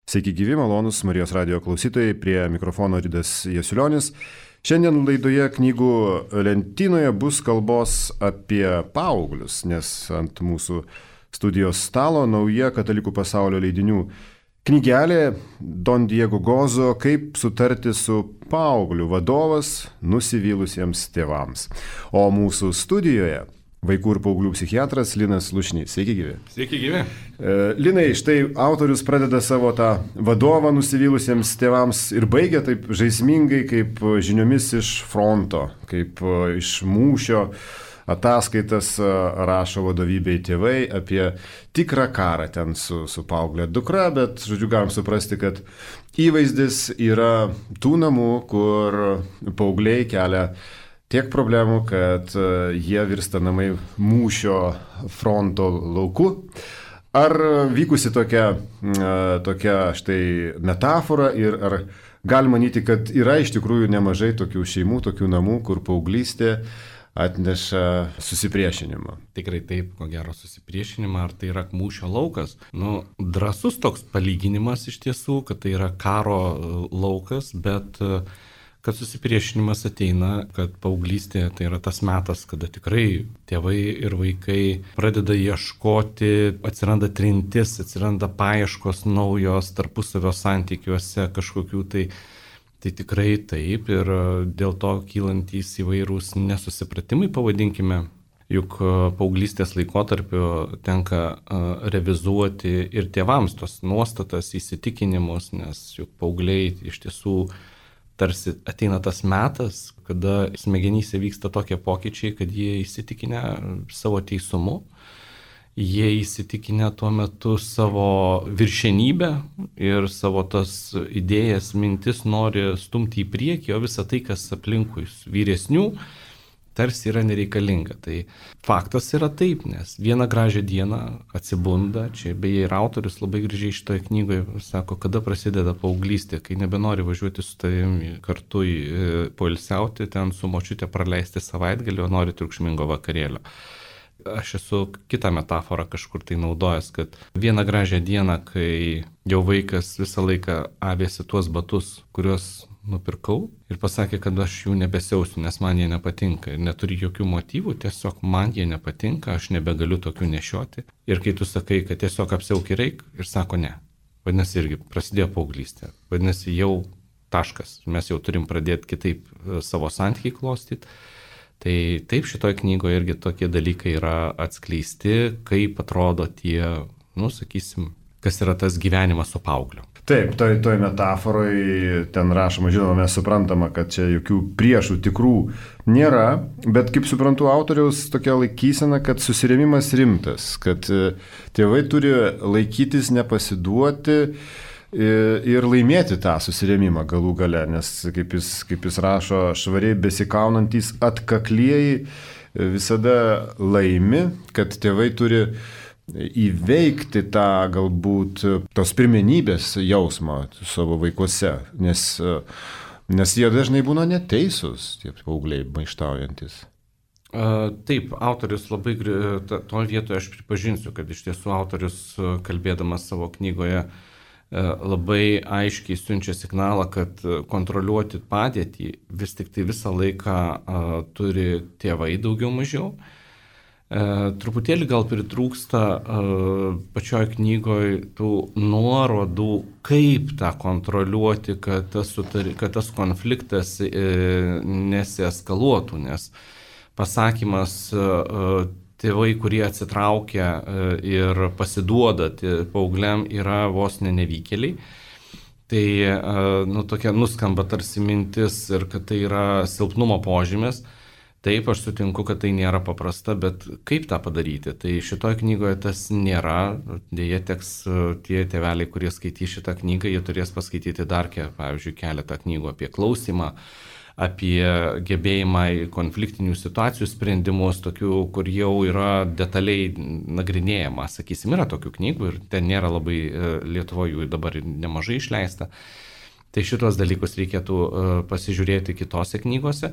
Sveiki gyvi, malonus Marijos radio klausytojai, prie mikrofono Ridas Jasiulionis. Šiandien laidoje knygų lentynoje bus kalbos apie paauglius, nes ant mūsų studijos stalo nauja Katalikų pasaulio leidinių knygelė Don Diego Gozo "Kaip sutarti su paaugliu" vadovas nusivylusiems tėvams. O mūsų studijoje vaikų ir paauglių psichiatras Linas Lušnys. Sveiki gyvi. Sveiki gyvi. Linai, štai autorius pradeda savo tą vadovą nusivylusiems tėvams ir baigia taip žaismingai, kaip žiniomis iš fronto, kaip iš mūšio ataskaitas rašo vadovybei tėvai apie tikrą karą ten su paauglė dukra, bet, žodžiu, galim suprasti, kad įvaizdis yra tų namų, kur paaugliai kelia tiek problemų, kad jie virsta namai mūšio fronto lauku. Ar vykusi tokia štai metafora ir ar galima manyti, kad yra iš tikrųjų nemažai tokių šeimų, tokių namų, kur paauglystė atneša susipriešinimą? Tikrai taip, ko gero susipriešinimą, ar tai yra mūšio laukas. Drąsus toks palyginimas iš tiesų, kad tai yra karo laukas, bet kad susipriešinimas ateina, kad paauglystė tai yra tas metas, kada tikrai tėvai ir vaikai pradeda ieškoti, atsiranda trintis, atsiranda paieškos naujos tarpusavio santykiuose kažkokių tai tikrai taip ir dėl to kylantys įvairūs nesusipratimai, pavadinkime. Juk paauglystės laikotarpiu tenka revizuoti ir tėvams tos nuostatas, įsitikinimus, nes juk paaugliai iš tiesų tarsi ateina tas metas, kada smegenyse vyksta tokie pokyčiai, kad jie įsitikinę savo teisumu, jie įsitikinę tuo metu savo viršenybę ir savo tas idėjas, mintis nori stumti į priekį, o visa tai, kas aplinkui vyresnių, tarsi yra nereikalinga. Tai faktas yra taip, nes vieną gražią dieną atsibunda, čia beje ir autorius labai gražiai šitoje knygoje sako, kada prasideda paauglystė, kai nebenori važiuoti su tavimi kartu poilsiauti, ten su močiute praleisti savaitgalį, o nori triukšmingo vakarėlio. Aš esu kitą metaforą kažkur tai naudojęs, kad vieną gražią dieną, kai jau vaikas visą laiką avėsi tuos batus, kuriuos nupirkau ir pasakė, kad aš jų nebesiausiu, nes man jie nepatinka ir neturi jokių motyvų, tiesiog man jie nepatinka, aš nebegaliu tokių nešioti. Ir kai tu sakai, kad tiesiog apsiauki reik ir sako ne, vadinasi irgi prasidėjo paauglystė, vadinasi jau taškas, mes jau turim pradėti kitaip savo santykį klostyti. Tai taip šitoje knygoje irgi tokie dalykai yra atskleisti, kaip atrodo tie, sakysim, kas yra tas gyvenimas su paaugliu. Taip, toj metaforoje ten rašoma, žinoma, mes suprantama, kad čia jokių priešų tikrų nėra, bet kaip suprantu, autoriaus tokia laikysena, kad susirėmimas rimtas, kad tėvai turi laikytis, nepasiduoti ir laimėti tą susirėmimą galų gale, nes kaip jis rašo, švariai besikaunantys atkaklieji visada laimi, kad tėvai turi įveikti tą galbūt tos pirmenybės jausmą savo vaikuose, nes jie dažnai būna neteisūs, tie paaugliai maištaujantis. Taip, autorius labai, toje vietoje aš pripažinsiu, kad iš tiesų autorius, kalbėdamas savo knygoje, labai aiškiai siunčia signalą, kad kontroliuoti padėtį vis tik tai visą laiką turi tėvai daugiau mažiau. Truputėlį gal pritrūksta pačioj knygoje tų nuorodų, kaip tą kontroliuoti, kad tas konfliktas nesieskaluotų, nes pasakymas tėvai, kurie atsitraukia ir pasiduoda paaugliam, yra vos nevykėliai. Tai tokia nuskamba tarsi mintis ir kad tai yra silpnumo požymis. Taip, aš sutinku, kad tai nėra paprasta, bet kaip tą padaryti? Tai šitoje knygoje tas nėra. Deja, teks tie tėveliai, kurie skaitys šitą knygą, jie turės paskaityti dar, pavyzdžiui, keletą knygų apie klausymą, apie gebėjimą į konfliktinių situacijų sprendimus, tokių, kur jau yra detaliai nagrinėjama. Sakysim, yra tokių knygų ir ten nėra labai Lietuvoje jų dabar nemažai išleista. Tai šitos dalykus reikėtų pasižiūrėti kitose knygose.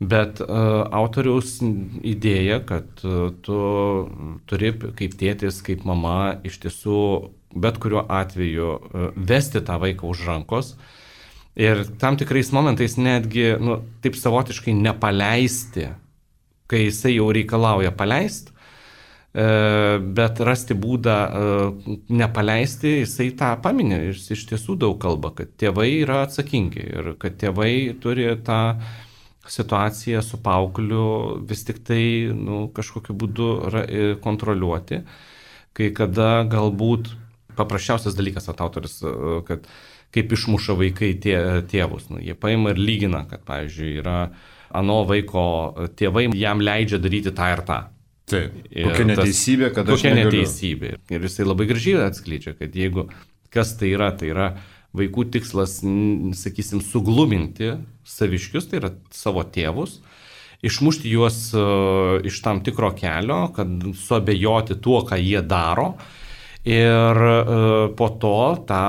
Bet autoriaus idėja, kad tu turi kaip tėtis, kaip mama iš tiesų bet kuriuo atveju vesti tą vaiką už rankos ir tam tikrais momentais netgi, taip savotiškai nepaleisti, kai jisai jau reikalauja paleisti, bet rasti būdą nepaleisti, jisai tą paminė ir jis iš tiesų daug kalba, kad tėvai yra atsakingi ir kad tėvai turi tą situaciją su paaugliu vis tik tai kažkokiu būdu kontroliuoti, kai kada galbūt paprasčiausias dalykas autorius, kad kaip išmuša vaikai tėvus, jie paima ir lygina, kad pavyzdžiui yra ano vaiko tėvai jam leidžia daryti tą ir tą. Taip, kokia neteisybė, kad aš negaliu. Kokia neteisybė. Ir jisai labai gražiai atskleidžia, kad jeigu kas tai yra vaikų tikslas, sakysim, sugluminti saviškius, tai yra savo tėvus, išmušti juos iš tam tikro kelio, kad suabejoti tuo, ką jie daro ir po to tą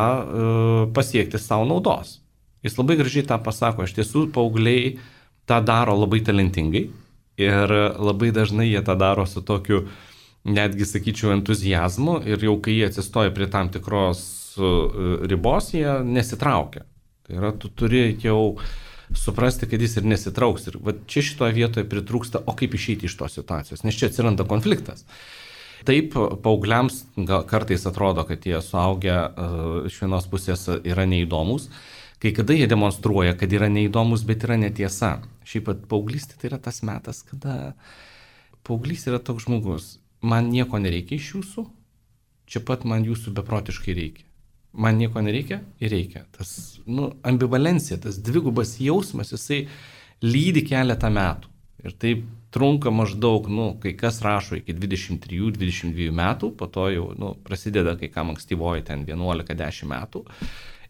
pasiekti savo naudos. Jis labai gražiai tą pasako, iš tiesų paaugliai tą daro labai talentingai. Ir labai dažnai jie tą daro su tokiu, netgi sakyčiau, entuzijazmu ir jau kai jie atsistoja prie tam tikros ribos, jie nesitraukia. Tai yra, tu turi jau suprasti, kad jis ir nesitrauks. Ir va, čia šitoje vietoje pritrūksta, o kaip išeiti iš tos situacijos, nes čia atsiranda konfliktas. Taip, paaugliams kartais atrodo, kad jie suaugę iš vienos pusės yra neįdomus. Kai kada jie demonstruoja, kad yra neįdomus, bet yra netiesa. Šiaip pat paauglystė tai yra tas metas, kada paauglys yra toks žmogus. Man nieko nereikia iš jūsų, čia pat man jūsų beprotiškai reikia. Man nieko nereikia ir reikia. Tas ambivalencija, tas dvigubas jausmas, jisai lydi keletą metų. Ir taip trunka maždaug, kai kas rašo iki 23-22 metų, po to jau prasideda kai kam ankstyvoji ten 11-10 metų.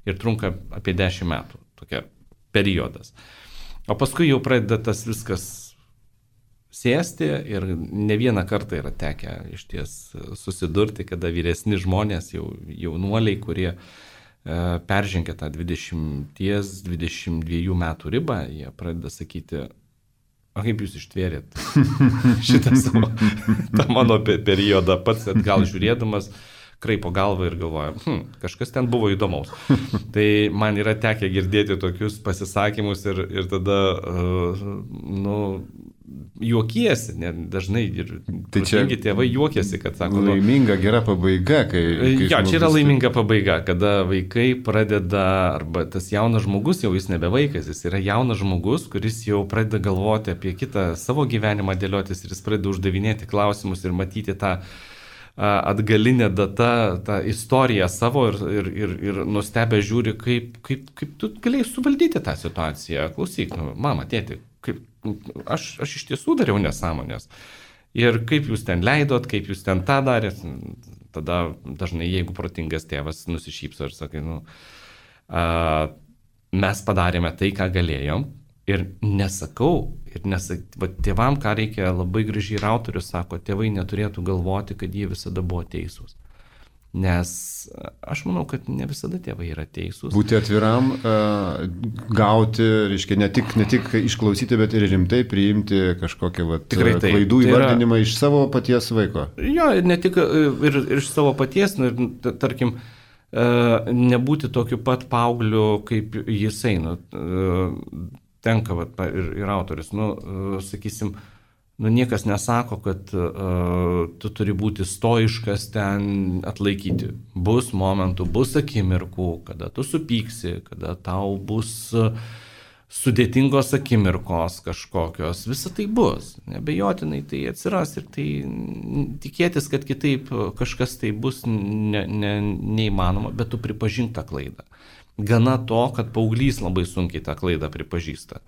Ir trunka apie 10 metų, tokia periodas. O paskui jau pradeda tas viskas sėsti ir ne vieną kartą yra tekę iš ties susidurti, kada vyresni žmonės, jaunuoliai, kurie peržengia tą 20-22 metų ribą, jie pradeda sakyti, o kaip jūs ištvėrėt šitą savo, tą mano periodą pats atgal žiūrėdamas, kraipo galvą ir galvoja, kažkas ten buvo įdomaus. Tai man yra tekę girdėti tokius pasisakymus ir tada, juokiesi, dažnai ir tėvai juokiesi, kad sako... Laiminga, gera pabaiga, kai čia yra laiminga pabaiga, kada vaikai pradeda, arba tas jaunas žmogus, jau jis nebe vaikas, jis yra jaunas žmogus, kuris jau pradeda galvoti apie kitą savo gyvenimą dėliotis ir jis pradeda uždavinėti klausimus ir matyti tą atgalinė data, tą istoriją savo ir nustebę žiūri, kaip tu galėjai suvaldyti tą situaciją. Klausyk, mama, tėti, aš iš tiesų dariau nesąmonės. Ir kaip jūs ten leidot, kaip jūs ten tą darėt. Tada dažnai, jeigu protingas tėvas nusišypso ir sakai, mes padarėme tai, ką galėjom. Ir nesakau, tėvam, ką reikia labai gražiai ir autorius sako, tėvai neturėtų galvoti, kad jie visada buvo teisūs. Nes aš manau, kad ne visada tėvai yra teisūs. Būti atviram, gauti, reiškia, ne tik išklausyti, bet ir rimtai priimti kažkokią klaidų įvardinimą iš savo paties vaiko. Jo, ne tik ir iš savo paties, tarkim, nebūti tokiu pat paaugliu, kaip jisai. Tenka ir autorius, sakysim, niekas nesako, kad tu turi būti stoiškas ten atlaikyti. Bus momentų, bus akimirkų, kada tu supyksi, kada tau bus sudėtingos akimirkos kažkokios, visa tai bus. Nebejotinai tai atsiras ir tai tikėtis, kad kitaip kažkas tai bus neįmanoma, bet tu pripažink tą klaidą. Gana to, kad paauglys labai sunkiai tą klaidą pripažįsta.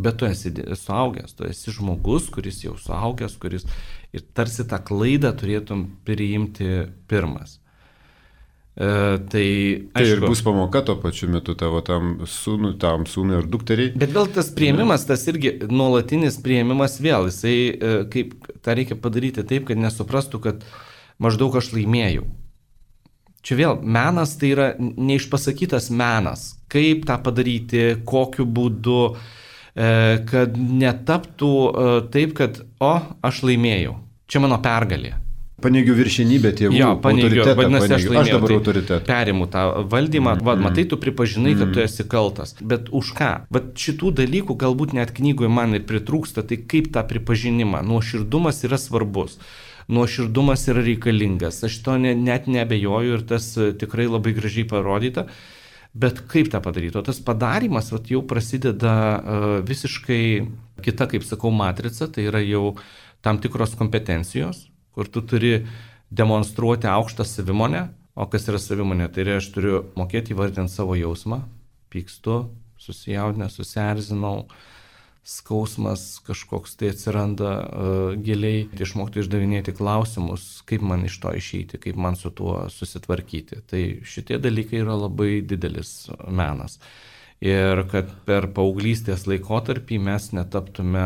Bet tu esi suaugęs, tu esi žmogus, kuris jau suaugęs, kuris ir tarsi tą klaidą turėtum priimti pirmas. Tai ir bus pamoka tuo pačiu metu tavo tam sūnui ar dukteriai. Bet vėl tas priėmimas, tas irgi nuolatinis priėmimas vėl, jisai kaip tą reikia padaryti taip, kad nesuprastų, kad maždaug aš laimėjau. Čia vėl menas tai yra neišpasakytas menas. Kaip tą padaryti, kokiu būdu, kad netaptų taip, kad aš laimėjau. Čia mano pergalė. Paneigiu viršenybę tėvų. Jo, paneigiu, vadinasi, aš dabar autoritetą. Perimu tą valdymą, matai, tu pripažinai, kad tu esi kaltas. Bet už ką? Bet šitų dalykų galbūt net knygoje man ir pritrūksta, tai kaip tą pripažinimą? Nuoširdumas yra svarbus. Nuoširdumas yra reikalingas. Aš to net neabejoju ir tas tikrai labai gražiai parodyta. Bet kaip tą padaryti? O tas padarimas jau prasideda visiškai kita, kaip sakau, matrica, tai yra jau tam tikros kompetencijos, kur tu turi demonstruoti aukštą savimonę. O kas yra savimonė? Tai yra, aš turiu mokėti įvardinti savo jausmą, pykstu, susijaudinęs, susierzinau, skausmas kažkoks tai atsiranda giliai, išmokti išdavinėti klausimus, kaip man iš to išeiti, kaip man su tuo susitvarkyti. Tai šitie dalykai yra labai didelis menas. Ir kad per paauglystės laikotarpį mes netaptume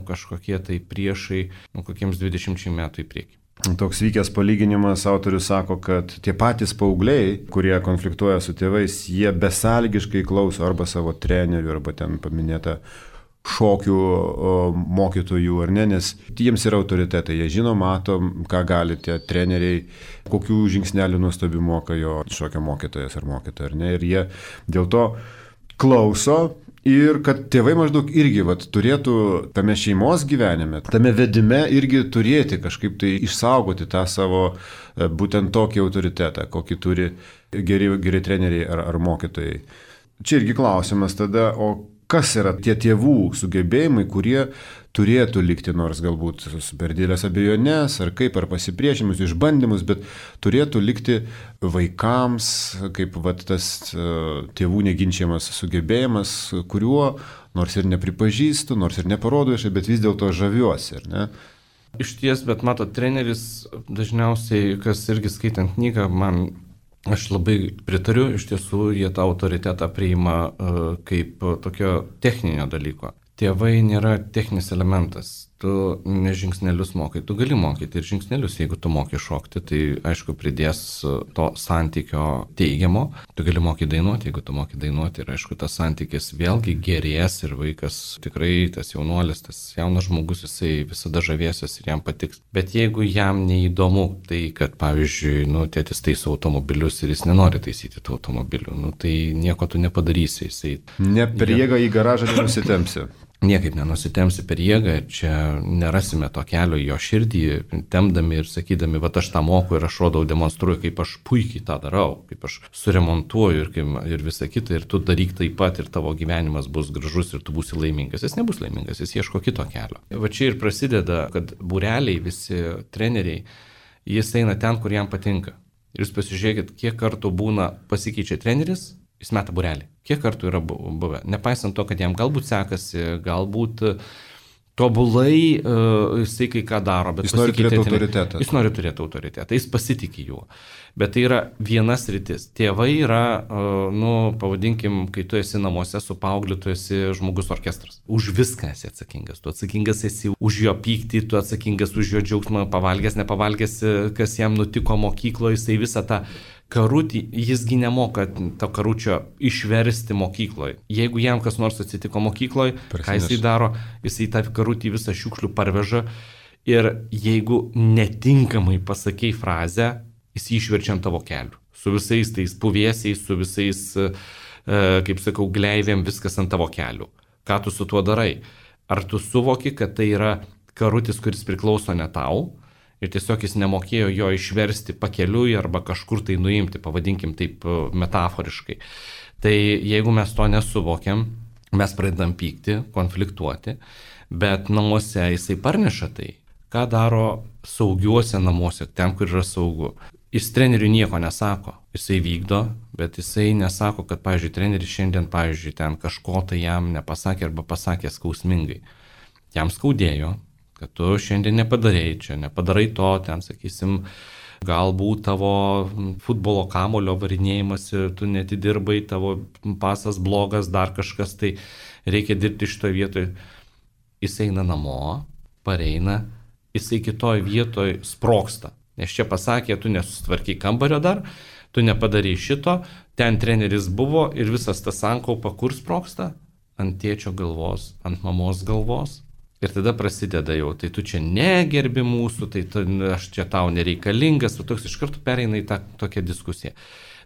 kažkokie tai priešai kokiems 20 metų į priekį. Toks vykęs palyginimas, autorius sako, kad tie patys paaugliai, kurie konfliktuoja su tėvais, jie besąlygiškai klauso arba savo trenerių, arba ten paminėta šokių mokytojų, ar ne, nes jiems yra autoritetai, jie žino, mato, ką gali tie treneriai, kokių žingsnelių nuostabių moka jo šokio mokytojas ar mokytoja, ar ne, ir jie dėl to klauso ir kad tėvai maždaug irgi turėtų tame šeimos gyvenime, tame vedime irgi turėti kažkaip tai išsaugoti tą savo būtent tokį autoritetą, kokį turi geri treneriai ar mokytojai. Čia irgi klausimas tada, o kas yra tie tėvų sugebėjimai, kurie turėtų likti, nors galbūt per didelės abejonės, ar kaip, ar pasipriešimus, išbandymus, bet turėtų likti vaikams, kaip tas tėvų neginčiamas sugebėjimas, kuriuo nors ir nepripažįstu, nors ir neparodo viešai, bet vis dėlto žaviuosi, ar ne? Iš ties, bet mato, treneris dažniausiai, kas irgi skaitant knygą, aš labai pritariu, iš tiesų jie tą autoritetą priima kaip tokio techninio dalyko. Tėvai nėra techninis elementas. Tu ne žingsnelius mokai, tu gali mokyti ir žingsnelius, jeigu tu moki šokti, tai aišku pridės to santykio teigiamo. Tu gali mokyti dainuoti, jeigu tu moki dainuoti ir aišku tas santykis vėlgi gerės ir vaikas tikrai, tas jaunuolis, tas jaunas žmogus, jisai visada žavėsis ir jam patiks. Bet jeigu jam neįdomu tai, kad pavyzdžiui, tėtis taiso automobilius ir jis nenori taisyti tų automobilių, tai nieko tu nepadarysi. Ne per jėgą į garažą nenusitempsi. Niekaip nenusitempsi per jėgą, čia nerasime to kelio į jo širdį, temdami ir sakydami, aš tą moku ir aš rodau, demonstruoju, kaip aš puikiai tą darau, kaip aš suremontuoju ir visą kitą, ir tu daryk taip pat ir tavo gyvenimas bus gražus ir tu būsi laimingas. Jis nebus laimingas, jis ieško kito kelio. Va čia ir prasideda, kad būreliai, visi treneriai, jis eina ten, kur jam patinka. Ir jūs pasižiūrėkit, kiek kartų būna pasikeičia treneris, jis meta būrelį. Kiek kartų yra buvę? Nepaisant to, kad jam galbūt sekasi, galbūt tobulai jisai kai ką daro, bet jis nori turėti autoritetą. Jis nori turėti autoritetą, jis pasitikė juo. Bet tai yra vienas rytis. Tėvai yra, pavadinkim, kai tu esi namuose su paaugliu, tu esi žmogus orkestras. Už viską esi atsakingas. Tu atsakingas esi už jo pyktį, tu atsakingas už jo džiaugsmą, pavalgęs, nepavalgęs, kas jam nutiko mokykloje, jisai visą tą karutį, jisgi nemoka to karučio išversti mokykloje. Jeigu jam kas nors atsitiko mokykloje, ką jisai daro, jisai tą karutį visą šiukšlių parveža ir jeigu netinkamai pasakei frazę, jis išverčia ant tavo kelių. Su visais tais puvėsiais, su visais, kaip sakau, gleivėm, viskas ant tavo kelių. Ką tu su tuo darai? Ar tu suvoki, kad tai yra karutis, kuris priklauso ne tau? Ir tiesiog jis nemokėjo jo išversti pakeliui arba kažkur tai nuimti, pavadinkim taip metaforiškai. Tai jeigu mes to nesuvokiam, mes pradedam pykti, konfliktuoti, bet namuose jisai parneša tai. Ką daro saugiuose namuose, ten, kur yra saugu? Jis treneriui nieko nesako, jisai vykdo, bet jisai nesako, kad, pavyzdžiui, treneris šiandien, pavyzdžiui, ten kažko tai jam nepasakė arba pasakė skausmingai. Jam skaudėjo, kad tu šiandien nepadarei čia, nepadarai to, ten, sakysim, galbūt tavo futbolo kamulio varinėjimas, tu netidirbai, tavo pasas blogas, dar kažkas, tai reikia dirbti šitoje vietoje. Jis eina namo, pareina, jisai kitoj vietoje sproksta. Nes čia pasakė, tu nesusitvarkiai kambario dar, tu nepadarai šito, ten treneris buvo ir visas tas sankaupa kur sproksta? Ant tėčio galvos, ant mamos galvos. Ir tada prasideda jau, tai tu čia negerbi mūsų, tai aš čia tau nereikalingas, tu toks iš karto pereina į tą tokią diskusiją.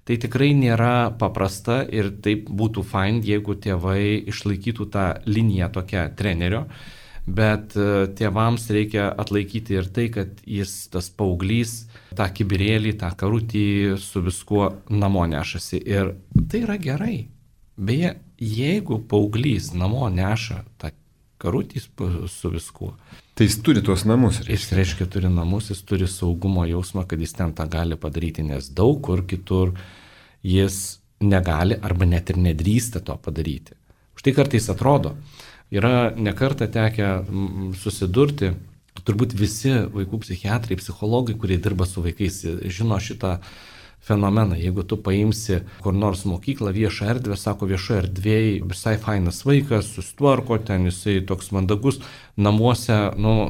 Tai tikrai nėra paprasta ir taip būtų fine, jeigu tėvai išlaikytų tą liniją tokią trenerio, bet tėvams reikia atlaikyti ir tai, kad jis, tas paauglys, tą kibirėlį, tą karutį su viskuo namo nešasi. Ir tai yra gerai. Beje, jeigu paauglys namo neša tą karutį su viskuo. Tai jis turi tuos namus. Jis reiškia turi namus, jis turi saugumo jausmą, kad jis ten tą gali padaryti, nes daug kur kitur jis negali arba net ir nedrįsta to padaryti. Štai kartais atrodo, yra nekartą tekę susidurti, turbūt visi vaikų psichiatrai, psichologai, kurie dirba su vaikais, žino šitą fenomeną. Jeigu tu paimsi kur nors mokyklą, viešą erdvę, sako viešoje erdvėje, visai fainas vaikas, susitvarko, ten jisai toks mandagus, namuose,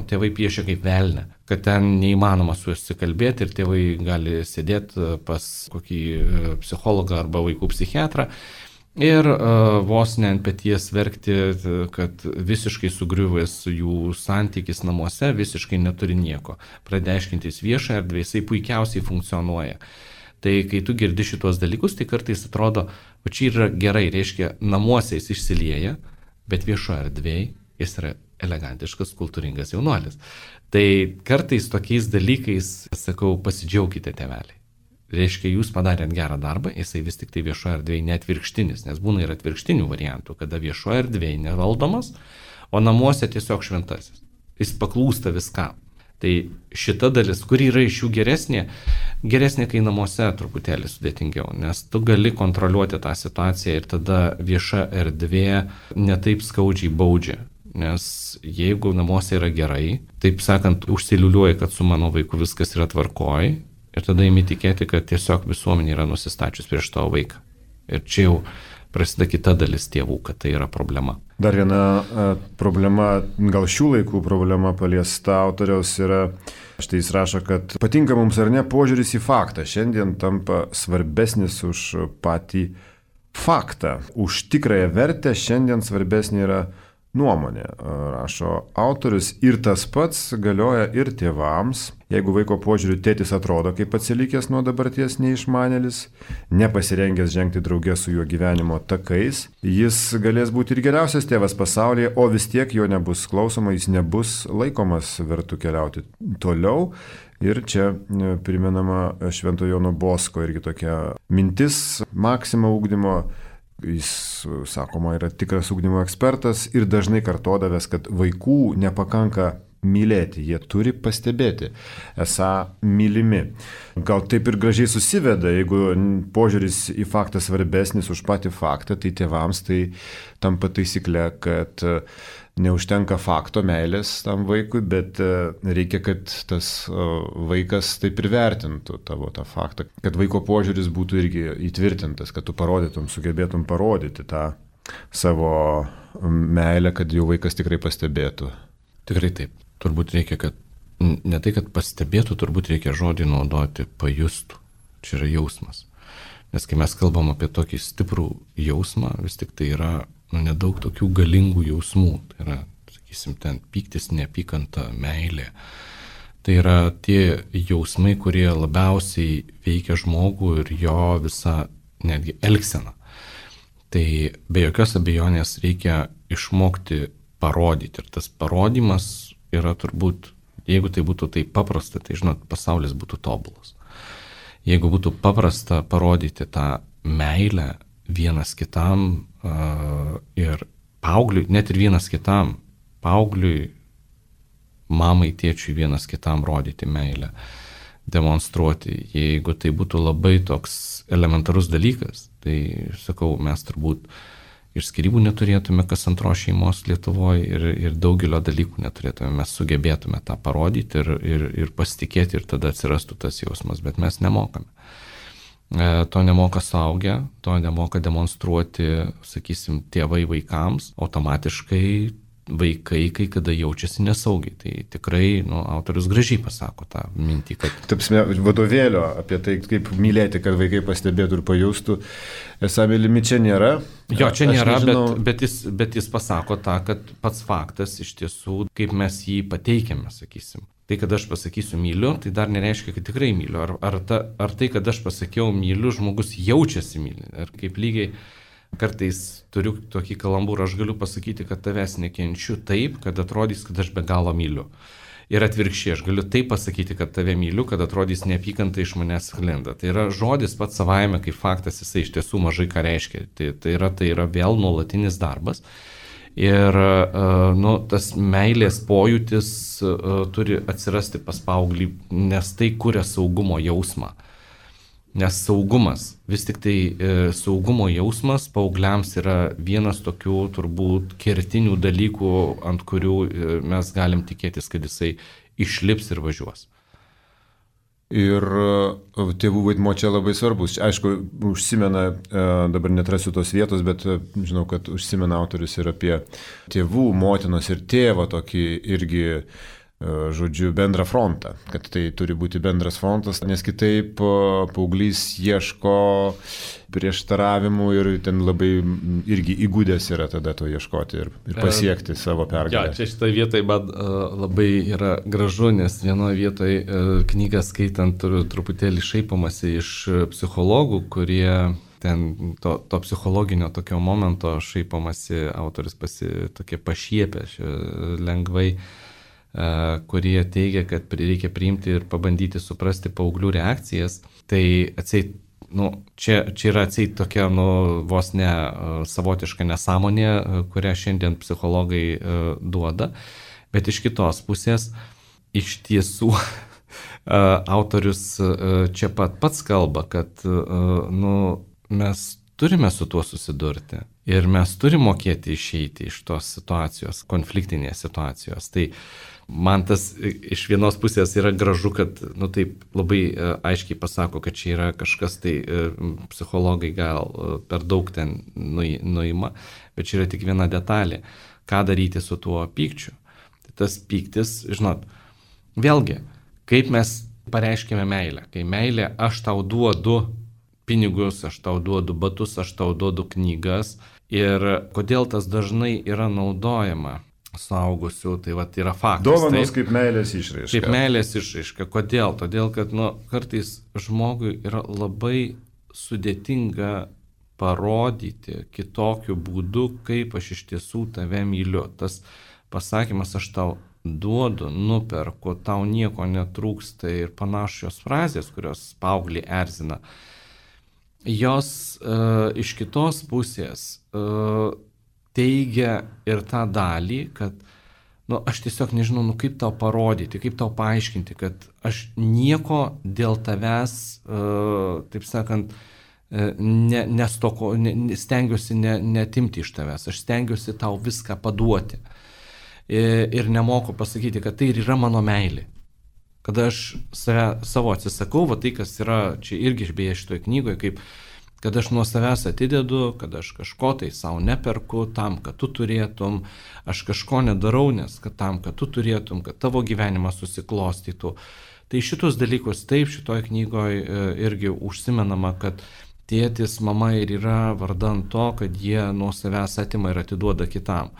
tėvai piešia kaip velnę, kad ten neįmanoma su juo susikalbėti ir tėvai gali sėdėti pas kokį psichologą arba vaikų psichiatrą ir vos ne ant peties verkti, kad visiškai sugriuvęs jų santykis namuose, visiškai neturi nieko. Pradeda aiškintis viešą erdvę, jisai puikiausiai funkcionuoja. Tai kai tu girdi šitos dalykus, tai kartais atrodo, o čia yra gerai, reiškia, namuose jis išsilieja, bet viešoje erdvėje jis yra elegantiškas, kultūringas jaunuolis. Tai kartais tokiais dalykais, sakau, pasidžiaukite tėveliai. Reiškia, jūs padarėt gerą darbą, jisai vis tik tai viešoje erdvėje neatvirkštinis, nes būna ir atvirkštinių variantų, kada viešoje erdvėje nevaldomas, o namuose tiesiog šventasis. Jis paklūsta viskam. Tai šita dalis, kuri yra iš jų geresnė, kai namuose truputėlį sudėtingiau, nes tu gali kontroliuoti tą situaciją ir tada vieša erdvė netaip skaudžiai baudžia. Nes jeigu namuose yra gerai, taip sakant, užsiliuliuoji, kad su mano vaiku viskas yra tvarkoj ir tada imi tikėti, kad tiesiog visuomenė yra nusistačius prieš tavo vaiką. Ir čia jau prasideda kita dalis tėvų, kad tai yra problema. Dar viena problema, gal šių laikų problema paliesta autoriaus yra, štai jis rašo, kad patinka mums ar ne požiūris į faktą. Šiandien tampa svarbesnis už patį faktą. Už tikrąją vertę šiandien svarbesnė yra nuomonė, rašo autorius. Ir tas pats galioja ir tėvams. Jeigu vaiko požiūriu tėtis atrodo kaip atsilikęs nuo dabarties neišmanėlis, nepasirengęs žengti draugė su juo gyvenimo takais, jis galės būti ir geriausias tėvas pasaulyje, o vis tiek jo nebus klausoma, jis nebus laikomas vertu keliauti toliau. Ir čia primenama Švento Jono Bosko irgi tokia mintis, maksima ugdymo. Jis, sakoma, yra tikras ugdymo ekspertas ir dažnai kartodavęs, kad vaikų nepakanka mylėti, jie turi pastebėti, esą mylimi. Gal taip ir gražiai susiveda, jeigu požiūris į faktą svarbesnis už patį faktą, tai tėvams tai tampa taisyklė, kad neužtenka fakto meilės tam vaikui, bet reikia, kad tas vaikas taip ir vertintų tavo tą faktą, kad vaiko požiūris būtų irgi įtvirtintas, kad tu parodytum, sugebėtum parodyti tą savo meilę, kad jau vaikas tikrai pastebėtų. Tikrai taip. Turbūt reikia, kad ne tai, kad pastebėtų, turbūt reikia žodį naudoti, pajustų. Čia yra jausmas. Nes kai mes kalbam apie tokį stiprų jausmą, vis tik tai yra nedaug tokių galingų jausmų. Tai yra, sakysim, ten pyktis, neapykanta, meilė. Tai yra tie jausmai, kurie labiausiai veikia žmogų ir jo visą netgi elgseną. Tai be jokios abejonės reikia išmokti parodyti. Ir tas parodymas yra turbūt, jeigu tai būtų taip paprasta, tai žinot, pasaulis būtų tobulas. Jeigu būtų paprasta parodyti tą meilę vienas kitam ir paaugliui, net ir vienas kitam, paaugliui, mamai, tėčiui vienas kitam rodyti meilę, demonstruoti. Jeigu tai būtų labai toks elementarus dalykas, tai, sakau, mes turbūt ir skyrybų neturėtume kas antros šeimos Lietuvoje ir daugelio dalykų neturėtume. Mes sugebėtume tą parodyti ir pasitikėti ir tada atsirastų tas jausmas, bet mes nemokame. To nemoka suaugę, to nemoka demonstruoti, sakysim, tėvai vaikams. Automatiškai vaikai kai kada jaučiasi nesaugiai. Tai tikrai autorius gražiai pasako tą mintį, kad... Tapsime vadovėlio apie tai, kaip mylėti, kad vaikai pastebėtų ir pajustų. Esą mylimi čia nėra. Jo, čia nėra, bet jis pasako tą, kad pats faktas iš tiesų, kaip mes jį pateikiame, sakysim. Tai, kad aš pasakysiu myliu, tai dar nereiškia, kad tikrai myliu. Ar tai, kad aš pasakiau myliu, žmogus jaučiasi myli. Ar kaip lygiai kartais turiu tokį kalambūrą, aš galiu pasakyti, kad tavęs nekenčiu taip, kad atrodys, kad aš be galo myliu. Ir atvirkščiai, aš galiu taip pasakyti, kad tave myliu, kad atrodys neapykanta iš manęs sklinda. Tai yra žodis pats savaime, kaip faktas, jisai iš tiesų mažai ką reiškia. Tai yra vėl nuolatinis darbas. Ir tas meilės pojūtis turi atsirasti pas paauglį, nes tai kuria saugumo jausmą. Nes saugumas, vis tik tai saugumo jausmas paaugliams yra vienas tokių turbūt kertinių dalykų, ant kurių mes galim tikėtis, kad jisai išlips ir važiuos. Ir tėvų vaidmuo čia labai svarbus. Aišku, užsimena, dabar netrasiu tos vietos, bet žinau, kad užsimena autorius ir apie tėvų, motinos ir tėvo tokį irgi, žodžiu, bendrą frontą, kad tai turi būti bendras frontas, nes kitaip paauglys ieško prieštaravimų ir ten labai irgi įgudęs yra tada to ieškoti ir pasiekti savo pergalę. Čia šitoje vietoje man labai yra gražu, nes vienoje vietoje knygą skaitant truputėlį šaipomasi iš psichologų, kurie ten to psichologinio tokio momento šaipomasi, autorius tokie pašiepia lengvai, kurie teigia, kad reikia priimti ir pabandyti suprasti paauglių reakcijas. Tai atseit, čia yra atseit tokia vos ne savotiška nesąmonė, kurią šiandien psichologai duoda. Bet iš kitos pusės, iš tiesų, autorius čia pats kalba, kad mes turime su tuo susidurti. Ir mes turime mokėti išeiti iš tos situacijos, konfliktinės situacijos. Tai man tas iš vienos pusės yra gražu, kad taip labai aiškiai pasako, kad čia yra kažkas, tai psichologai gal per daug ten nuima, bet čia yra tik viena detalė. Ką daryti su tuo pykčiu? Tai tas pyktis, žinot, vėlgi, kaip mes pareiškime meilę. Kai meilė, aš tau duodu pinigus, aš tau duodu batus, aš tau duodu knygas. Ir kodėl tas dažnai yra naudojama suaugusių, tai yra faktas. Dovanos kaip meilės išraiška. Kaip meilės išraiška. Kodėl? Todėl, kad kartais žmogui yra labai sudėtinga parodyti kitokiu būdu, kaip aš iš tiesų tave myliu. Tas pasakymas, aš tau duodu, nuperku, tau nieko netrūksta ir panašios frazės, kurios paauglį erzina. Jos iš kitos pusės teigia ir tą dalį, kad aš tiesiog nežinau, kaip tau parodyti, kaip tau paaiškinti, kad aš nieko dėl tavęs, taip sakant, stengiuosi netimti iš tavęs, aš stengiuosi tau viską paduoti. Ir nemoku pasakyti, kad tai ir yra mano meilė. Kada aš savo atsisakau, tai kas yra čia irgi beje šitoje knygoje, kaip kad aš nuo savęs atidedu, kad aš kažko tai savo neperku tam, kad tu turėtum, aš kažko nedarau, nes tam, kad tu turėtum, kad tavo gyvenimas susiklostytų. Tai šitus dalykus taip šitoje knygoje irgi užsimenama, kad tėtis, mama ir yra vardan to, kad jie nuo savęs atima ir atiduoda kitam.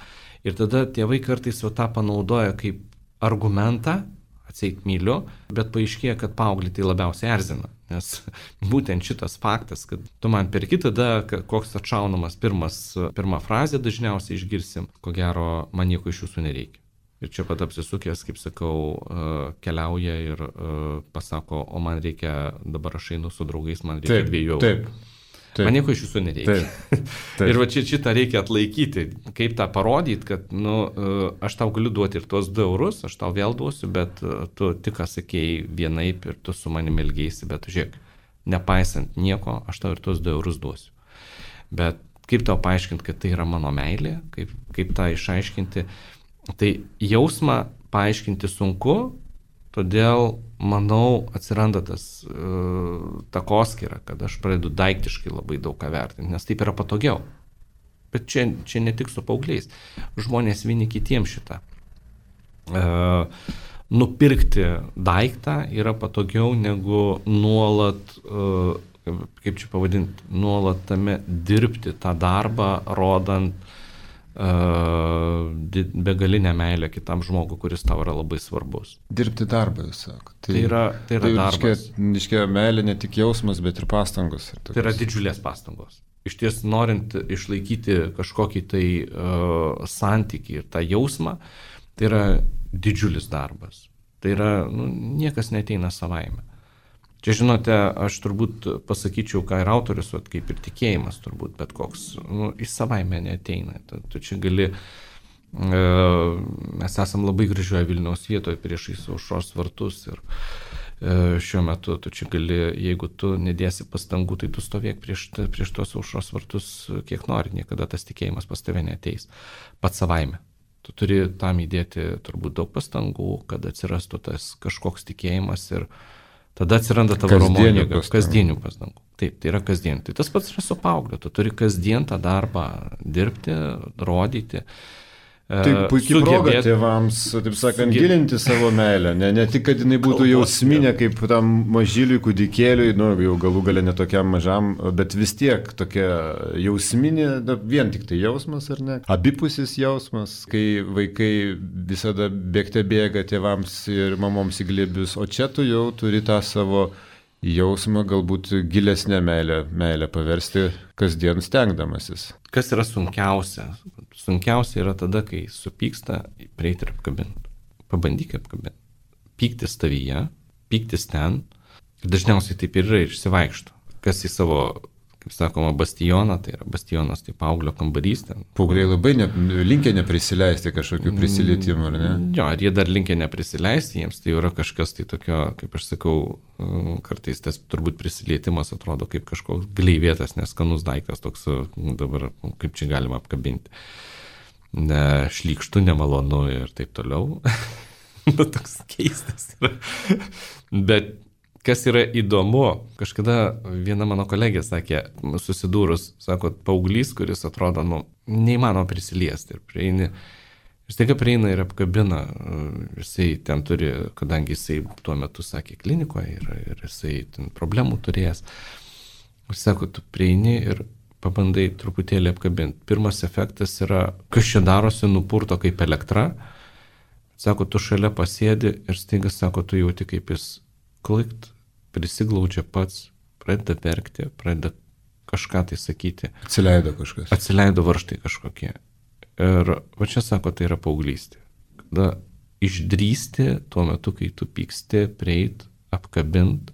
Ir tada tėvai kartais jau tą panaudoja kaip argumentą, atseit myliu, bet paaiškėja, kad paauglį tai labiausiai erzina. Nes būtent šitas faktas, kad tu man perki, tada koks atšaunamas pirma frazė dažniausiai išgirsim, ko gero man nieko iš jūsų nereikia. Ir čia pat apsisukęs, kaip sakau, keliauja ir pasako, o man reikia, dabar aš einu su draugais, man reikia 2 eurų. Taip. Man nieko iš jūsų nereikia. Taip. Ir va šitą reikia atlaikyti, kaip tą parodyti, kad aš tau galiu duoti ir tuos 2 eurus, aš tau vėl duosiu, bet tu tik sakėjai vienaip ir tu su manimi elgeisi, bet žiūrėk, nepaisant nieko, aš tau ir tuos 2 eurus duosiu. Bet kaip tau paaiškinti, kad tai yra mano meilė, kaip tą išaiškinti, tai jausmą paaiškinti sunku, todėl, manau, atsiranda tas takoskyra, kad aš pradedu daiktiškai labai daug ką vertinti, nes taip yra patogiau. Bet čia ne tik su paaugliais. Žmonės vieni kitiems šitą. Nupirkti daiktą yra patogiau negu nuolat, kaip čia pavadinti, nuolat tame dirbti tą darbą, rodant begalinę meilę kitam žmogui, kuris tau yra labai svarbus. Dirbti darbą, jūs sako. Tai yra darbas. Iškia meilė ne tik jausmas, bet ir pastangos. Tai yra didžiulės pastangos. Iš ties, norint išlaikyti kažkokį tai santykį ir tą jausmą, tai yra didžiulis darbas. Tai yra, niekas neteina savaime. Čia, žinote, aš turbūt pasakyčiau, ką ir autorius, kaip ir tikėjimas turbūt, bet koks, į savaime neteina. Tu čia gali, mes esam labai gražioje Vilniaus vietoje priešais Aušros vartus ir šiuo metu tu čia gali, jeigu tu nedėsi pastangų, tai tu stovėk prieš tos Aušros vartus kiek nori, niekada tas tikėjimas pas tave neateis, pats savaime. Tu turi tam įdėti turbūt daug pastangų, kad atsirastų tas kažkoks tikėjimas ir tada atsiranda tavo romonė, kasdienių pastangų. Taip, tai yra kasdien. Tai tas pats yra su paaugliu. Tu turi kasdien tą darbą dirbti, rodyti. Tai puikiai proga tėvams, taip sakant, gilinti savo meilę. Ne tik, kad jinai būtų jausminė, kaip tam mažyliui, kūdikėliui, jau galų gale netokiam mažam, bet vis tiek tokia jausminė, vien tik tai jausmas, ar ne? Abipusis jausmas, kai vaikai visada bėgte bėga tėvams ir mamoms į glėbius, o čia tu jau turi tą savo jausmą, galbūt gilesnę meilę paversti kasdien stengdamasis. Kas yra sunkiausia? Sunkiausia yra tada, kai supyksta, prieiti ir apkabinti. Pabandyk apkabinti. Pyktis tavyje, pyktis ten. Dažniausiai taip ir yra, išsivaikšto. Kas į savo, kaip sakoma, bastioną, tai yra bastionas, tai paauglio kambarys. Paaugliai labai linkę neprisileisti kažkokių prisilietimų, ar ne? Jo, ar jie dar linkę neprisileisti, jiems tai yra kažkas tai tokio, kaip aš sakau, kartais tas turbūt prisilietimas atrodo kaip kažkoks gleivėtas, neskanus daiktas, toks dabar, kaip čia galima apkabinti. Šlykštu, nemalonu ir taip toliau. Toks keistas yra. Bet kas yra įdomu, kažkada viena mano kolegė sakė, susidūrus, sako, paauglys, kuris atrodo, neįmanoma prisiliesti ir prieini. Ir staiga prieina ir apkabina, jisai ten turi, kadangi jisai tuo metu sakė klinikoje ir jisai ten problemų turėjęs. Ir sako, tu prieini ir pabandai truputėlį apkabinti. Pirmas efektas yra, kas čia darosi, nupurto kaip elektra. Sako, tu šalia pasėdi ir staiga, sako, tu jauti kaip jis klikt, prisiglaudžia pats, pradeda verkti, pradeda kažką tai sakyti. Atsileido kažkas. Atsileido varžtai kažkokie. Ir va čia sako, tai yra paauglystė. Kada išdrįsti tuo metu, kai tu pyksti, prieit, apkabint.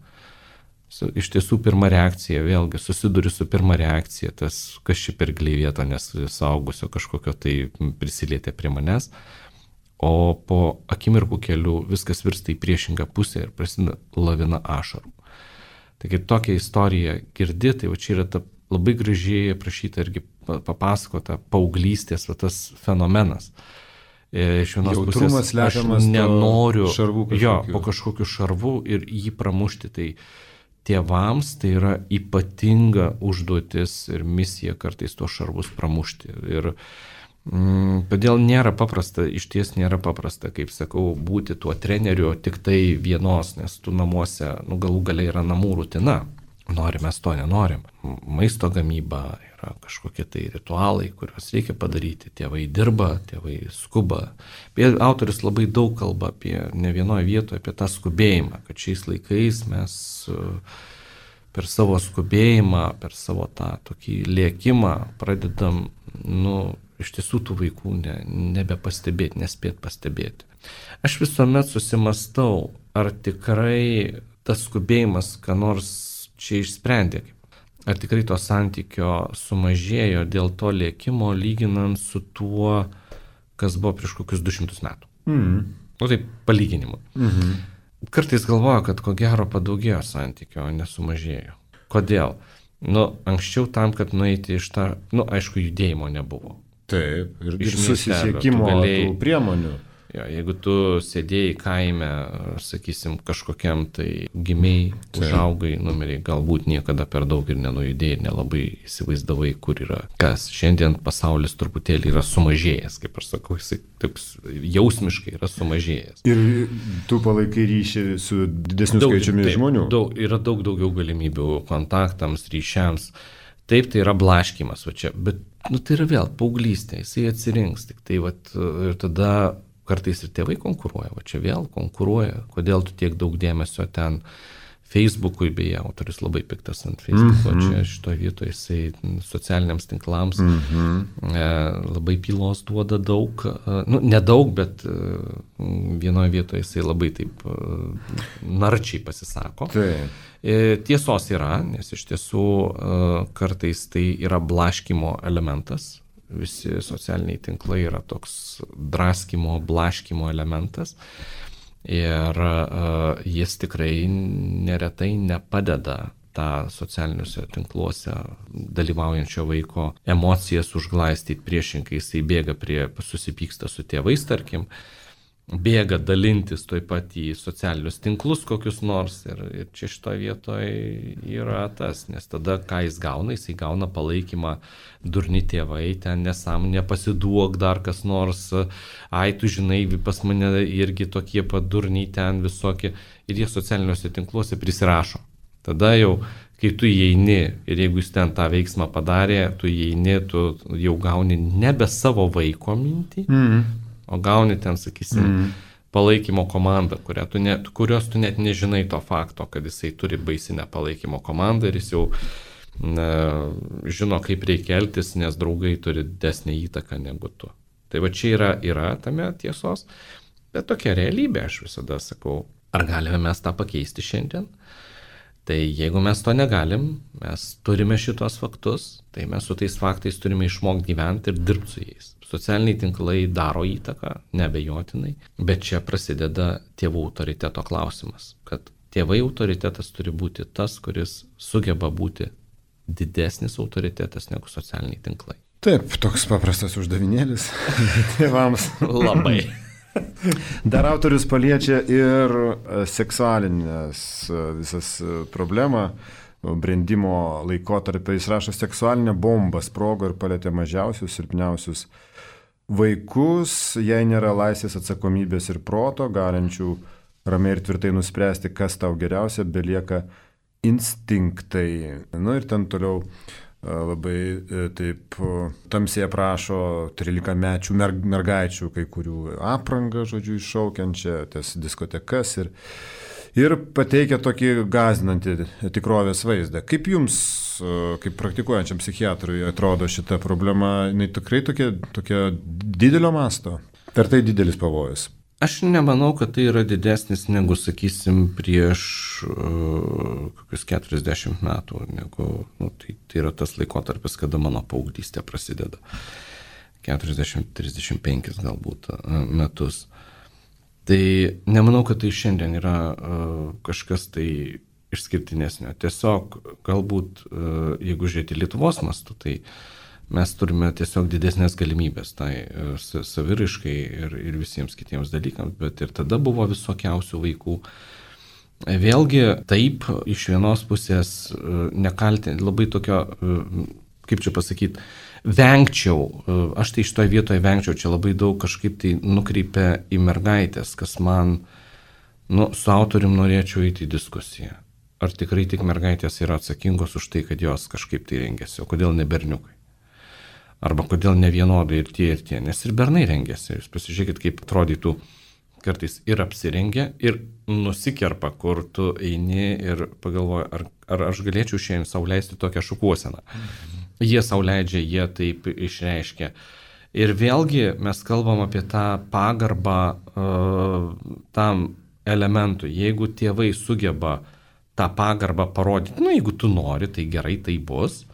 Iš tiesų pirma reakcija, vėlgi susiduri su pirma reakcija, tas kas čia per gleivėta, nes suaugusio kažkokio tai prisilietė prie manęs. O po akimirkų kelių viskas virsta į priešingą pusę ir prasideda lavina ašarų. Taigi tokią istoriją girdi, tai va čia yra ta labai gražiai aprašyta irgi papasakota paauglystės va tas fenomenas. Iš vienos pusės aš nenoriu po kažkokiu šarvu ir jį pramušti. Tai tėvams tai yra ypatinga užduotis ir misija kartais tuos šarvus pramušti. Ir todėl nėra paprasta, iš ties nėra paprasta, kaip sakau, būti tuo treneriu tik tai vienos, nes tu namuose, galų gale yra namų rutina. Norim, mes to nenorim. Maisto gamyba yra kažkokie tai ritualai, kuriuos reikia padaryti. Tėvai dirba, tėvai skuba. Autorius labai daug kalba apie, ne vienoje vietoje, apie tą skubėjimą, kad šiais laikais mes per savo skubėjimą, per savo tą tokį lėkimą pradedam, iš tiesų tų vaikų nebepastebėti, nespėt pastebėti. Aš visuomet susimastau, ar tikrai tas skubėjimas, ką nors čia išsprendė. Ar tikrai to santykio sumažėjo dėl to lėkimo, lyginant su tuo, kas buvo prieš kokius 200 metų. Tai palyginimu. Kartais galvoju, kad ko gero padaugėjo santykio, o nesumažėjo. Kodėl? Anksčiau tam, kad nueiti iš tą, aišku, judėjimo nebuvo. Taip, ir susisiekimo priemonių. Jo, jeigu tu sėdėjai kaime, sakysim, kažkokiam tai gimiai, užaugai, numeriai, galbūt niekada per daug ir nenujudėjai, nelabai įsivaizdavai, kur yra kas. Šiandien pasaulis truputėlį yra sumažėjęs, kaip aš sakau, jisai taip jausmiškai yra sumažėjęs. Ir tu palaikai ryšį su didesniu skaičiumi žmonių. Yra daug daugiau galimybių kontaktams, ryšiams. Taip, tai yra blaškymas, va čia, bet tai yra vėl paauglystė, jisai atsirinks, tik tai ir tada kartais ir tėvai konkuruoja, o čia vėl konkuruoja, kodėl tu tiek daug dėmesio ten Facebook'ui, beje, autorius labai piktas ant Facebook'o, čia šitoje vietoje jisai socialiniams tinklams labai pylos duoda daug, nedaug, bet vienoje vietoje jisai labai taip narčiai pasisako. Tiesos yra, nes iš tiesų kartais tai yra blaškymo elementas. Visi socialiniai tinklai yra toks draskymo, blaškymo elementas ir jis tikrai neretai nepadeda tą socialiniuose tinkluose dalyvaujančio vaiko emocijas užglaistyti, priešingai jisai bėga susipyksta su tėvais, tarkim, bėga dalintis toj pat į socialinius tinklus kokius nors ir čia šitoje vietoje yra tas, nes tada ką jis gauna palaikymą, durni tėvai, ten nesąmonė, pasiduok dar kas nors, ai tu žinai, pas mane irgi tokie padurniai ten visokie ir jie socialiniuose tinkluose prisirašo. Tada jau, kai tu įeini ir jeigu jis ten tą veiksmą padarė, tu įeini, tu jau gauni nebe savo vaiko mintį, o gauni ten, sakysim, palaikymo komandą, kurios tu net nežinai to fakto, kad jisai turi baisinę palaikymo komandą ir jis jau žino, kaip reikia elgtis, nes draugai turi didesnę įtaką negu tu. Tai va čia yra tame tiesos, bet tokia realybė, aš visada sakau, ar galime mes tą pakeisti šiandien? Tai jeigu mes to negalim, mes turime šitos faktus, tai mes su tais faktais turime išmokti gyventi ir dirbti su jais. Socialiniai tinklai daro įtaką, neabejotinai, bet čia prasideda tėvų autoriteto klausimas, kad tėvai autoritetas turi būti tas, kuris sugeba būti didesnis autoritetas negu socialiniai tinklai. Taip, toks paprastas uždavinėlis tėvams. Labai. Dar autorius paliečia ir seksualinės visas problemą, brendimo laikotarpį. Jis rašo, seksualinė bomba sprogo ir palėtė mažiausius, silpniausius vaikus, jei nėra laisvės, atsakomybės ir proto, galinčių ramiai ir tvirtai nuspręsti, kas tau geriausia, belieka instinktai. Ir ten toliau labai taip tamsiai aprašo 13-mečių mergaičių, kai kurių aprangą, žodžiu, iššaukiančią, tas diskotekas ir pateikia tokį gąsdinantį tikrovės vaizdą. Kaip jums, kaip praktikuojančiam psichiatrui, atrodo šita problema, jinai tikrai tokia didelio masto? Ar tai didelis pavojus? Aš nemanau, kad tai yra didesnis negu, sakysim, prieš kokius 40 metų, negu, tai yra tas laikotarpis, kada mano paauglystė prasideda. 40-35 galbūt metus. Tai nemanau, kad tai šiandien yra kažkas tai išskirtinesnio. Tiesiog galbūt, jeigu žiūrėti Lietuvos mastu, tai mes turime tiesiog didesnės galimybės tai saviraiškai ir visiems kitiems dalykams, bet ir tada buvo visokiausių vaikų. Vėlgi, taip, iš vienos pusės nekalti, labai tokio, kaip čia pasakyti, vengčiau, aš tai šitoje vietoje vengčiau, čia labai daug kažkaip tai nukreipia į mergaitės, kas man, su autorium norėčiau eiti į diskusiją. Ar tikrai tik mergaitės yra atsakingos už tai, kad jos kažkaip tai rengiasi, o kodėl ne berniukai? Arba kodėl ne vienodai ir tie, nes ir bernai rengiasi. Jūs pasižiūrėkit, kaip atrodytų kartais ir apsirengia, ir nusikerpa, kur tu eini ir pagalvoji, ar aš galėčiau šiandien sau leisti tokią šukuoseną. Jie sau leidžia, jie taip išreiškia. Ir vėlgi mes kalbam apie tą pagarbą tam elementui. Jeigu tėvai sugeba tą pagarbą parodyti, jeigu tu nori, tai gerai, tai bus.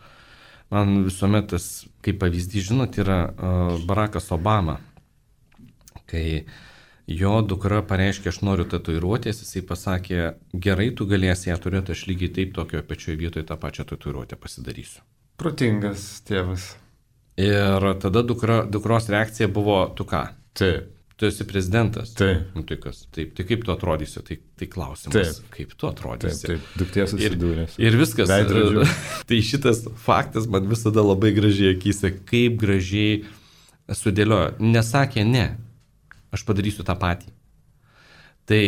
Man visuomet tas, kaip pavyzdys, žinot, yra Barackas Obama, kai jo dukra pareiškė, aš noriu tatuiruotės, jisai pasakė, gerai, tu galėsi ją turėti, aš lygiai taip tokio pačioje vietoje tą pačią tatuiruotę pasidarysiu. Protingas tėvas. Ir tada dukros reakcija buvo, tu ką? Taip. tu esi prezidentas. Taip. Nu, tai kas? Taip, tai kaip tu atrodysi? Tai klausimas. Taip. Kaip tu atrodysi? Taip, duktė susidūrė. Ir viskas. Tai šitas faktas man visada labai gražiai akyse, kaip gražiai sudėliojo. Nesakė ne, aš padarysiu tą patį. Tai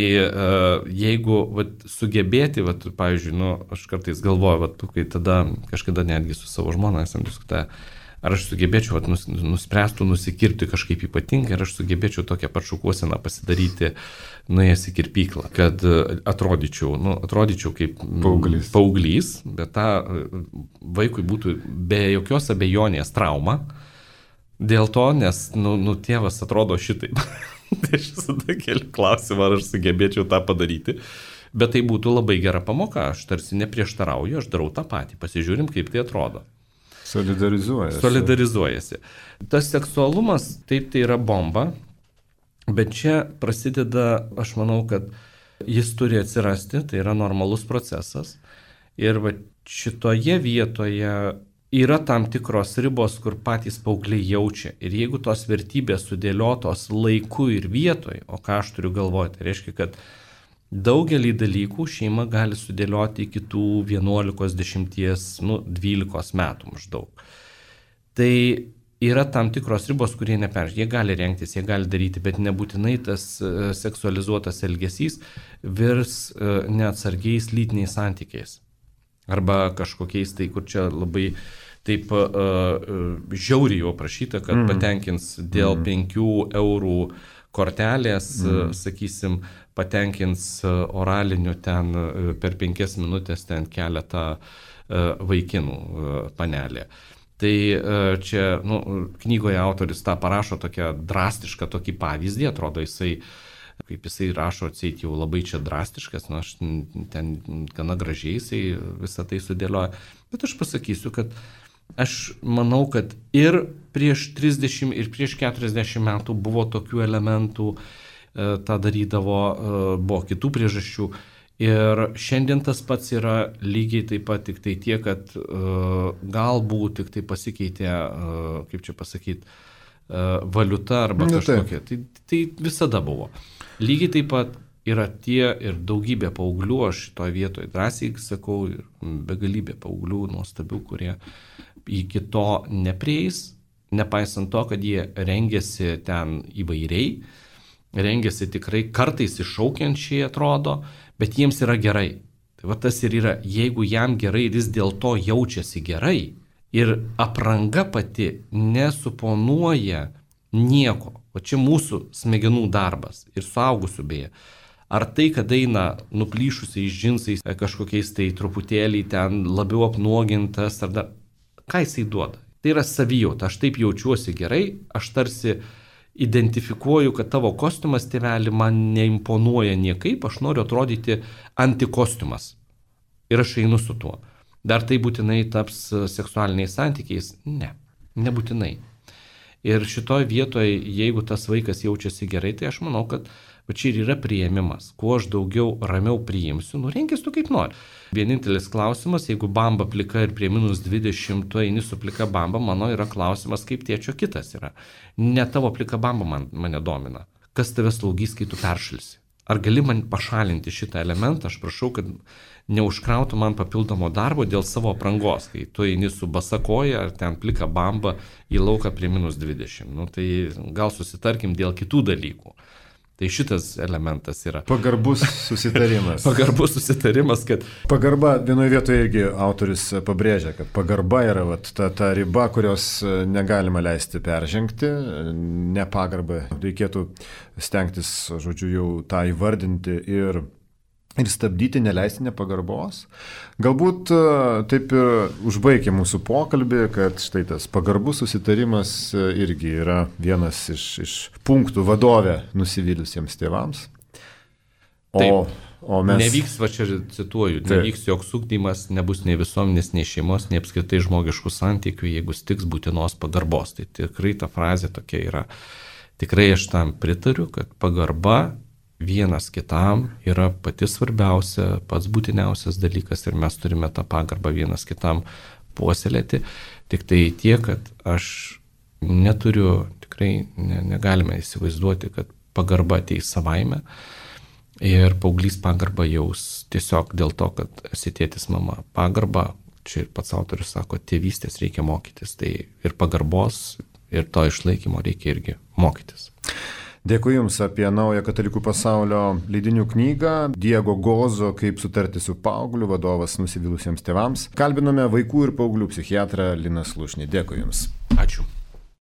jeigu sugebėti, pavyzdžiui, aš kartais galvoju, kai tada kažkada netgi su savo žmona esam diskutavę, ar aš sugebėčiau nuspręstų nusikirpti kažkaip ypatingai, ar aš sugebėčiau tokią pašukuoseną pasidaryti, nuėjęs į kirpyklą, kad atrodyčiau kaip paauglys, bet tą vaikui būtų be jokios abejonės trauma, dėl to, nes tėvas atrodo šitaip. Tai aš visada keliu klausimą, ar aš sugebėčiau tą padaryti, bet tai būtų labai gera pamoka, aš tarsi neprieštarauju, aš darau tą patį, pasižiūrim, kaip tai atrodo. Solidarizuojasi. Tas seksualumas, taip, tai yra bomba, bet čia prasideda, aš manau, kad jis turi atsirasti, tai yra normalus procesas ir šitoje vietoje yra tam tikros ribos, kur patys paaugliai jaučia. Ir jeigu tos vertybės sudėliotos laiku ir vietoj, o ką aš turiu galvoti, tai reiškia, kad daugelį dalykų šeima gali sudėlioti iki tų 11, 10, 12 metų maždaug. Tai yra tam tikros ribos, kurie neperžengė. Jie gali rengtis, jie gali daryti, bet nebūtinai tas seksualizuotas elgesys virs neatsargiais lytiniais santykiais. Arba kažkokiais tai, kur čia labai taip žiauriai jau prašyta, kad patenkins dėl 5 eurų kortelės, sakysim, patenkins oraliniu ten per 5 minutės ten keletą vaikinų panelė. Tai čia knygoje autoris tą parašo tokią drastišką tokį pavyzdį, atrodo kaip jisai rašo, atseit jau labai čia drastiškas, aš ten gana gražiai jisai visą tai sudėlioja. Bet aš pasakysiu, kad aš manau, kad ir prieš 30 ir prieš 40 metų buvo tokių elementų, tą darydavo, buvo kitų priežasčių. Ir šiandien tas pats yra lygiai taip pat, tik tai tiek, kad galbūt tik tai pasikeitė, kaip čia pasakyti, valiuta arba kažkokia. Tai visada buvo. Lygiai taip pat yra tie ir daugybė paauglių, aš šitoje vietoje drąsiai sakau, ir begalybė paauglių nuostabių, kurie iki to neprieis, nepaisant to, kad jie rengiasi ten įvairiai, rengiasi tikrai kartais iššaukiančiai atrodo, bet jiems yra gerai. Tai tas ir yra, jeigu jam gerai ir jis dėl to jaučiasi gerai ir apranga pati nesuponuoja nieko. O čia mūsų smegenų darbas ir suaugusių beje. Ar tai, kad eina nuplyšusiais džinsais, kažkokiais tai truputėlį ten labiau apnuogintas, ar dar, ką jisai duoda? Tai yra savijauta, aš taip jaučiuosi gerai, aš tarsi identifikuoju, kad tavo kostiumas, tėveli, man neimponuoja niekaip, aš noriu atrodyti antikostiumas. Ir aš einu su tuo. Dar tai būtinai taps seksualiniais santykiais? Ne, nebūtinai. Ir šitoje vietoje, jeigu tas vaikas jaučiasi gerai, tai aš manau, kad čia ir yra priėmimas. Kuo aš daugiau ramiau priimsiu, renkis tu kaip nori. Vienintelis klausimas, jeigu bamba plika ir prie -20, tu eini su plika bamba, mano yra klausimas, kaip tėčio kitas yra. Ne tavo plika bamba mane domina. Kas tave slaugys, kai tu peršalsi? Ar gali man pašalinti šitą elementą? Aš prašau, kad neužkrautų man papildomo darbo dėl savo aprangos, kai tu eini su basa koja ar ten plika bamba į lauką prie -20. Tai gal susitarkim dėl kitų dalykų. Tai šitas elementas yra. Pagarbus susitarimas. Pagarbus susitarimas, kad... Pagarba vienoje vietoje irgi autorius pabrėžia, kad pagarba yra ta riba, kurios negalima leisti peržengti. Nepagarbą reikėtų stengtis, žodžiu, jau tą įvardinti ir stabdyti, neleisti nepagarbos. Galbūt taip ir užbaigė mūsų pokalbį, kad štai tas pagarbus susitarimas irgi yra vienas iš punktų vadovė nusivylusiems tėvams. O mes... Nevyks, čia cituoju, nevyks joks ugdymas, nebus nei visuomenės, nei šeimos, nei apskritai žmogiškų santykių, jeigu stiks būtinos pagarbos. Tai tikrai ta frazė tokia yra. Tikrai aš tam pritariu, kad pagarba vienas kitam yra pati svarbiausia, pats būtiniausias dalykas ir mes turime tą pagarbą vienas kitam puoselėti. Tik tai tiek, kad aš neturiu, tikrai negalime įsivaizduoti, kad pagarba ateis savaime. Ir paauglys pagarbą jaus tiesiog dėl to, kad esi tėtis, mama. Pagarba, čia ir pats autorius sako, tėvystės reikia mokytis. Tai ir pagarbos, ir to išlaikymo reikia irgi mokytis. Dėkui Jums apie naują Katalikų pasaulio leidinių knygą Diego Gozo Kaip sutarti su paaugliu, vadovas nusivylusiems tėvams. Kalbinome vaikų ir paauglių psichiatrą Liną Slušnį. Dėkui Jums. Ačiū.